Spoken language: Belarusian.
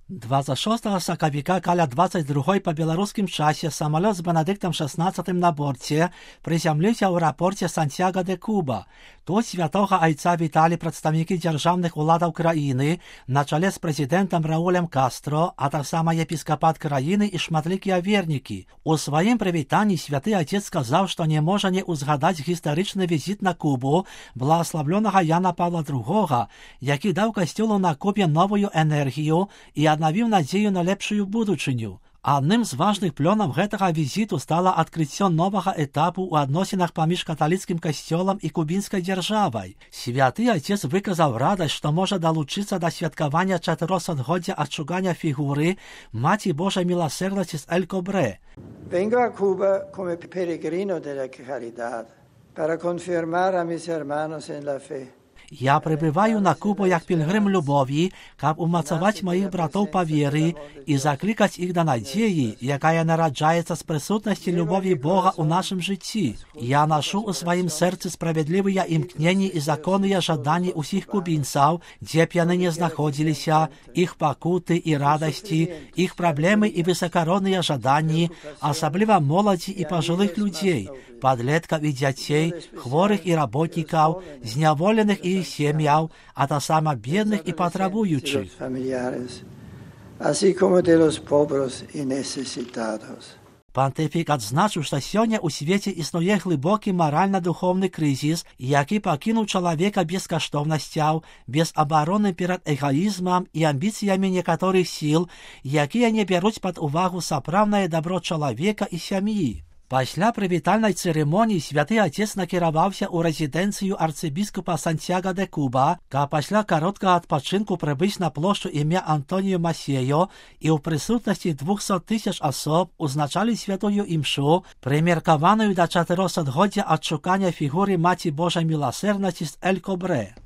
26 сакавіка каля 22 па беларускім часе самалёт з Бенедыктам XVI на борце прызямліўся ў аэрапорце Сантьяго де Куба. Тут святога айца віталі прадстаўнікі дзяржаўных уладаў краіны на чале з прэзідэнтам Раулем Кастро, а таксама епіскапат краіны і шматлікія вернікі. У сваім прывітанні святы айцец сказаў, што не можа не ўзгадаць гістарычны візіт на Кубу благаславлёнага Яна Павла II, які даў касцёлу на Кубе новую энергію і аднавіў надзею на лепшую будучыню. Адным з важных плёнаў гэтага візіту стала адкрыццё новага этапу ў адносінах паміж каталіцкім касцёлам і кубінскай дзяржавай. Святы айцец выказаў радасць, што можа далучыцца да святкавання 400-годдзя адшукання фігуры Маці Божай міласэрнасці з Эль-Кобрэ. Vengo a Cuba come peregrino della caridad para confirmar a mis hermanos en la fe. Я прыбываю на Кубу як пілгрым любові, каб умацаваць маіх братоў па веры і заклікаць іх да надзеі, якая нараджаецца з прысутнасці любові Бога ў нашым жыцці. Я нашу ў сваім сэрцы справядлівыя імкненні і законныя жаданні ўсіх кубінцаў, дзе б яны не знаходзіліся, іх пакуты і радасці, іх праблемы і высакародныя жаданні, асабліва моладзі і пажылых людзей, падлеткаў і дзяцей, хворых і работнікаў, зняволеных і сем'яў, а таксама бедных і патрабуючых. Пантыфік адзначыў, што сёння ў свеце існуе глыбокі маральна-духоўны крызіс, які пакінуў чалавека без каштоўнасцяў, без абароны перад эгаізмам і амбіцыямі некаторых сіл, якія не бяруць пад увагу сапраўднае дабро чалавека і сям'і. Пасля прывітальнай цырымоніі святы айцец накіраваўся ў рэзідэнцыю арцыбіскупа Сантьяго де Куба, каб пасля кароткага адпачынку прыбыць на плошчу імя Антоніо Масеё і ў прысутнасці 200 000 асоб узначалі святую імшу, прымеркаваную да 400-годдзя адшукання фігуры Маці Божай міласэрнасці з Эль-Кобрэ.